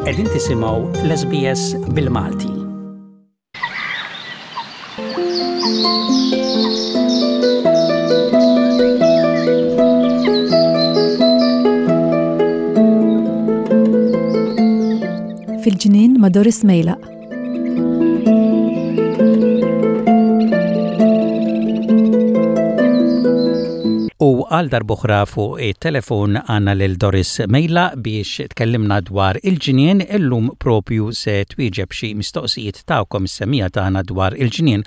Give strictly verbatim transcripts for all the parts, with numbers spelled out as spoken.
Qegħdin tisimgħu l-S B S bil-Malti. Fil-ġnien ma' Doris Mejlaq. U għal darb'oħra fuq it-telefon għandna lil Doris Mejlaq biex tkellimna dwar il-ġnien. Illum propju se twieġeb xi mistoqsijiet tagħkom is-semmiegħa tagħna dwar il-ġnien.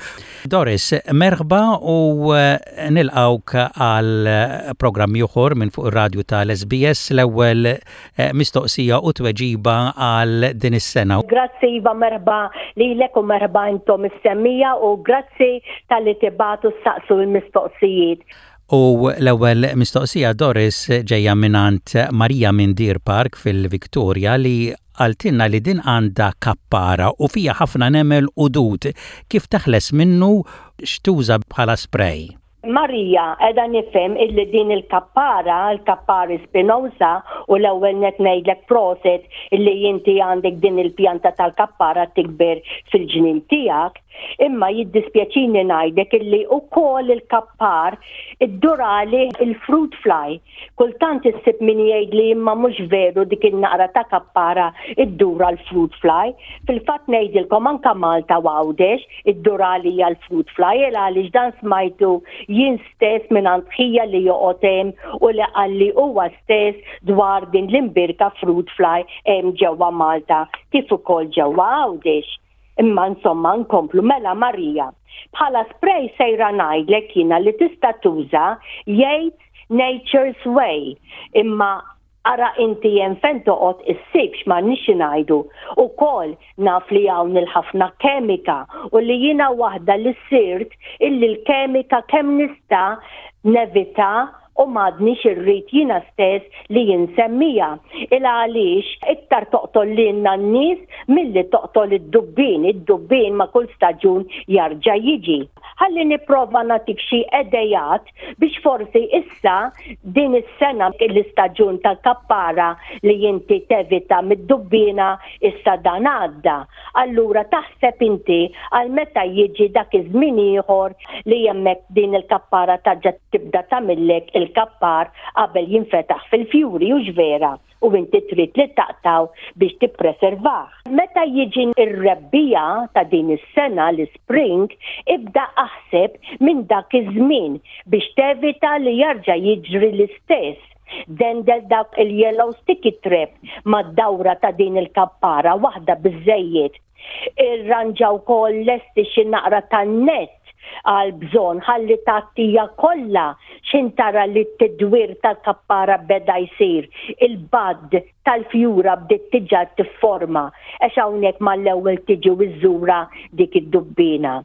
Doris, merħba u eh, nilqawk għal programm ieħor minn fuq ir-radju tal-S B S, l-ewwel eh, mistoqsija u tweġiba għal din is-sena. Grazzi Iva, merħba lilek u merħba intom is-semmiegħa u grazzi talli tibagħtu ssaqsu l-mistoqsijiet. U l-ewwel mistoqsija, Doris, ġejja mingħand Marija minn Deer Park fil-Victoria li qaltilna li din għandha kappara u fija ħafna nemel u dud. Kif teħles minnu, x'tuża bħala spray? Marija, edha nifhem illi din il-kappara, il-kappara spinosa, u l-ewwel net ngħidlek prosit illi inti għandek din il-pjanta tal-kappara tikber fil-ġnien tiegħek, imma jiddispjaċini ngħidlek illi ukoll il-kappar iddur għalih il-fruit fly. Kultant issib min jgħid li imma mhux veru, dik il-naqra ta' kappara iddur l-fruit fly. Fil-fatt ngħidilkom, anka Malta u Għawdex iddur għalija l-fruit fly, għaliex dan smajtu jien stess minn ħija li joqgħod hemm u li qalli huwa stess dwar din l-imbierka fruit fly hemm ġewwa Malta kif ukoll ġewwa Għawdex. Imma insomma, nkomplu. Mela Marija. Bħala spray sejra ngħidlek jiena li tista' tuża Yates Nature's Way. Imma ara inti jen fejn toqgħod issibx, ma nix ngħidu. Ukoll naf li hawn il-ħafna kemika u li jiena waħda li sirt illi l-kemika kemm nista' nevita u m'għadnix irrid jiena stess li jinsemmija. Il għaliex iktar toqtol lilna n-nies milli toqtol id-dubbin, id-dubbin ma' kull staġun jarġa' jiġi. Ħalli nipprova nagħtik xi idejat biex forsi issa din is-sena l-istaġun tal-kappara li inti tevita mid-dubbina issa dan għadda. Allura taħseb inti għal meta jiġi dak iż-żmien ieħor li hemmhekk din il-kappara terġa' tibda tagħmillek il-kappar qabel jinfetaħ fil-fjuri, u vera, u inti trid li taqtaw biex tippreservah. Meta jiġi ir-rebbiegħa ta' din is-sena, l-spring, ibda aħseb minn dak iż-żmien biex tevita li jarġa' jiġri l-istess. Dendel dak il-yellow sticky trap mad-dawra ta' din il-kappara, waħda biżejjed. Irranġa wkoll, lesti xi naqra tan-net għal bżonn ħalli tgħattiha kollha x'ħin tara li t-tidwir tal-kappara beda jsir. Il-bud tal-fjura bdiet diġà tifforma għax hawnhekk mal-ewwel tiġi iżżura dik id-dubbina.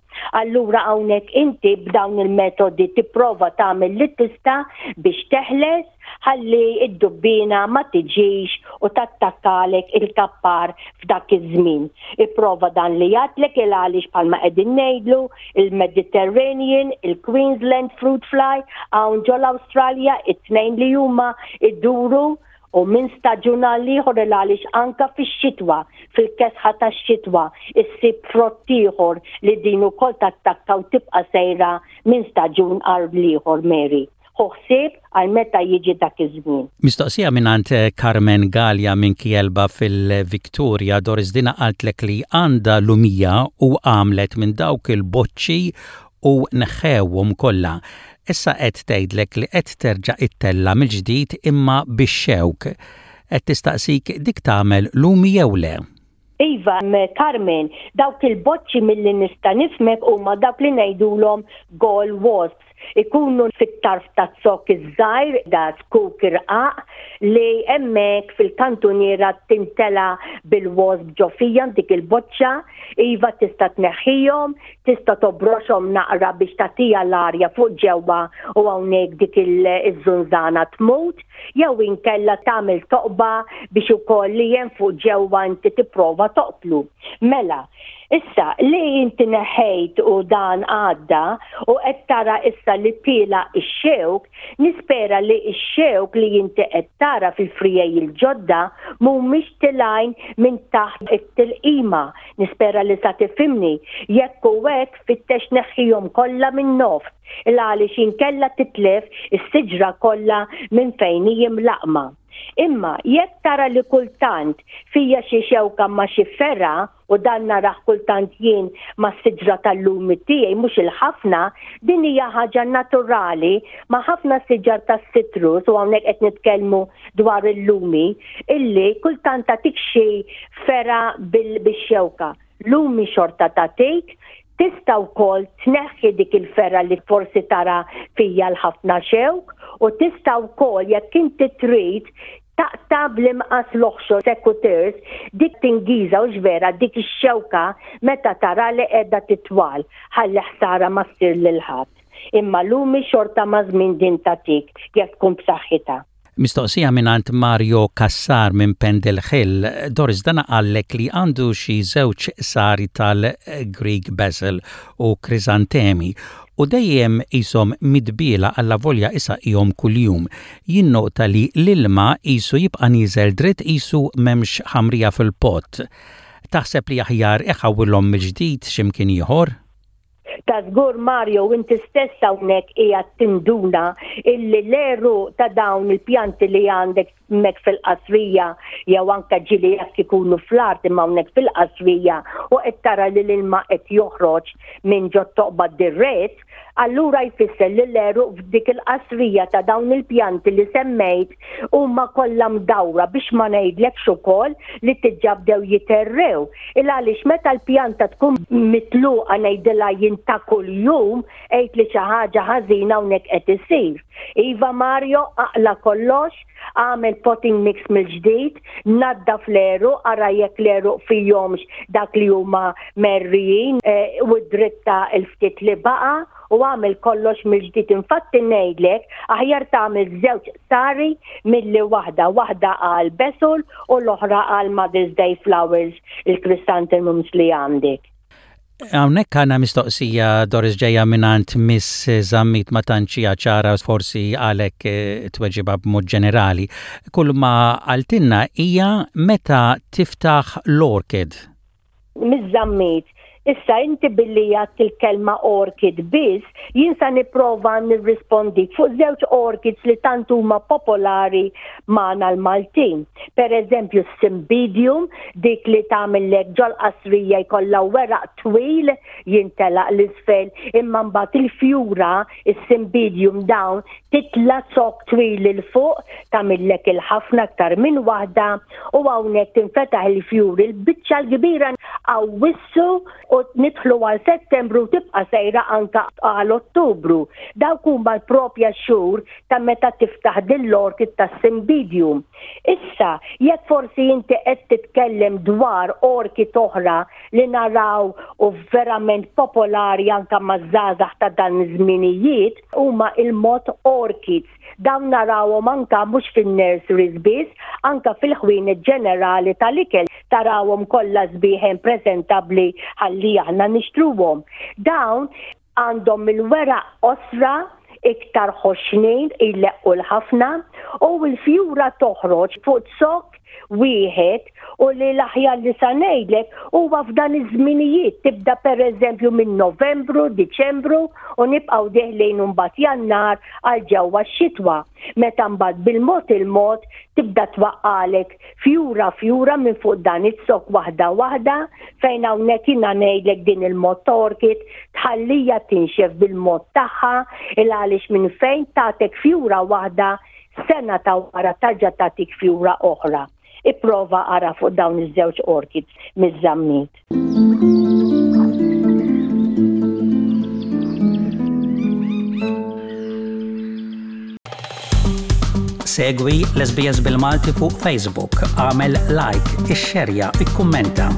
Allura hawnhekk inti b'dawn il-metodi tipprova tagħmel li tista' biex teħles ħalli id-dubbina ma tiġix u tattakkalek il-kappar f'dak iż-żmien. Ipprova dan li għedtlek, il għaliex bħalma qegħdin ngħidlu, il-Mediterranean, il-Queensland Fruit Fly, hawn ġol Awstralja it-tnejn li huma iduru u minn staġun għal ieħor, għaliex anka fix-xitwa, fil-kesħa tax-xitwa, issib frott ieħor li din ukoll tattakka u tibqa' sejra minn staġun għal ieħor, Mary. Ħsieb għal meta jiġi dak iż-żmien. Mistoqsija mingħand Carmen Gallia minn Kielba fil-Victoria, Doris. Dina qaltlek li għandha lumija u għamlet minn dawk il-boċċi u neħħewhom kollha. Issa qed tgħidlek li qed terġa' ittella' mill-ġdid imma bix-xewk. Qed tistaqsik dik tagħmel lumi jew le? Iva, Carmen, dawk il-boċċi milli nista' nifhmek huma dawk li ngħidulhom gall wasps. Ikunu fit-tarf ta' zokk iż-żgħir, da zkuk irqaq, li hemmhekk fil-kantuniera timtela bil-wasp ġo fiha dik il-boċċa. Iva, tista' tneħħihom, tista' tobroxhom naqra biex tagħtiha l-arja fuq ġewwa u hawnhekk dik iż-żunżana tmut, jew inkella tagħmel toqba biex ukoll li hemm fuq ġewwa inti tipprova toqtlu. Mela, Issa, li inti neħejt u dan għadda u qed tara issa li tila ix-xewk, nispera li ix-xewk li inti qed tara fil-frijej il-ġodda mhumiex tilgħin minn taħt it-tilqima. Nispera li sa tifhimni. Jekk u hekk, fittex neħħihom kollha minn nofs, il għaliex inkella titlef is-siġra kollha minn fejn hi mlaqma. Imma jekk tara li kultant fija xi xewka ma' xi ferra, u dan narah kultant jien ma' siġra tal-lumi tiegħi, mhux il-ħafna, din hija ħaġa naturali ma' ħafna siġar tas-citrus, u hawnhekk qed nitkellmu dwar il-lumi, illi kultant tagħtik xi ferra bil-xewka. Lumi xorta tagħtik. Tista' wkoll tneħħi dik il-ferra li forsi tara fija l-ħafna xewk, u tista' wkoll, jekk inti trid, taqta' bl-imqas l-oħxor secateurs dik tingiża u vera dik ix-xewka meta tara li qiegħda titwal, ħalli ħsara ma ssir lil ħadd. Imma lumi xorta ma' żmien din tagħtik jekk tkun b'saħħitha. Mistoqsija mingħand Mario Kassar minn Pendle Hill. Doris, dana qallek li għandu xi żewġ qsari tal-Greek Basil u Krisantemi u dejjem qishom midbiela allavolja isaqqihom kuljum. Jinnota li l-ilma qisu jibqa' nieżel dritt, qisu m'hemmx ħamrija fil-pot. Taħseb li aħjar iħawwilhom mill-ġdid x'imkien ieħor? Ta' żgur, Mario, inti stess hawnhekk qiegħed tinduna illi l-għeruq ta' dawn il-pjanti li għandek hemmhekk fil-qasrija, jew anke ġieli jekk ikunu fl-art, imma hawnhekk fil-qasrija, u qed tara li l-ilma qed joħroġ minn ġo toqba dirett, allura jfisser li l-għeruq f'dik il-qasrija ta' dawn il-pjanti li semmejt huma kollha mdawra, biex ma ngħidlekx ukoll li diġà bdew jiterrew. Il għaliex meta l-pjanta tkun mitluqa, ngħidilha jien, ta' kuljum, għid li xi ħaġa ħażina hawnhekk qed isir. Iva Mario, aqla kollox, għamel potting mix mill-ġdid, naddaf l-għeruq, ara jekk l-għeruq fihomx dak li huma merrijin eh, u dritta il-ftit li baqa u għamel kollox mill-ġdid. Infatti ngħidlek aħjar tagħmel żewġ qsari milli waħda, waħda għal basil u l-oħra għal Mother's Day flowers, il-chrysanthemums li għandek. Hawnhekk għandna mistoqsija, Doris, ġejja mingħand Miss Zammit, ma tantx ċara, forsi għalek eh, tweġiba b'mod ġenerali. Kull ma qaltilna hija meta tiftaħ l-orchid. Miss Zammit, issa inti billi għedt il-kelma orchid biss, jien sa nipprova nirrispondi fuq żewġ orchids li tant huma popolari magħna l-Maltin. Per eżempju, Cymbidium, dik li tagħmellek ġol-qasrija jkollha weraq twil jintelaq l-isfel, imma mbagħad il-fjura, is-Cymbidium dawn titla zokk twil 'il fuq, tagħmellek il-ħafna aktar minn waħda, u hawnhekk tinfetaħ il-fjuri l-biċċa l-kbira Awwissu u nidħlu għal Settembru, tibqa' sejra anka għal Ottubru. Dawk huma l-propja xhur ta' meta tiftaħ din l-orchid ta' Cymbidium. Issa, jekk forsi inti qed titkellem dwar orchid oħra li naraw u verament popolari anka maż-żgħażagħ ta' dan iż-żminijiet, huma il-moth orchids. Dawn narawhom anka mhux fin-nurseries biss, anka fil-ħwienet ġenerali tal-ikel tarawhom kollha sbieħen prezentabbli ħalli aħna nixtruhom. Dawn għandhom il-weraq qosra, iktar ħoxnin, illeqqu l-ħafna, u l-fjura toħroġ fuq zokk wieħed, u li l-aħjar li sa ngħidlek huwa f'dan iż-żminijiet tibda, pereżempju minn Novembru, Diċembru, u nibqgħu deħlin mbagħad Jannar għal ġewwa x-xitwa. Meta mbagħad bil-mod il-mod tibda twaqqalek fjura fjura minn fuq dan iz-zokk, waħda waħda, fejn hawnhekk jiena ngħidlek din il-moth orchid tħallija tinxef bil-mod tagħha, il għaliex minn fejn tagħtek fjura waħda, sena ta' wara tarġa' tagħtik fjura oħra. Ipprova ara fuq dawn iż-żewġ orchids, Miż-Zammit. Segwi l-S B S bil-Malti fuq Facebook, għamel like, ixxerja, ikkummenta.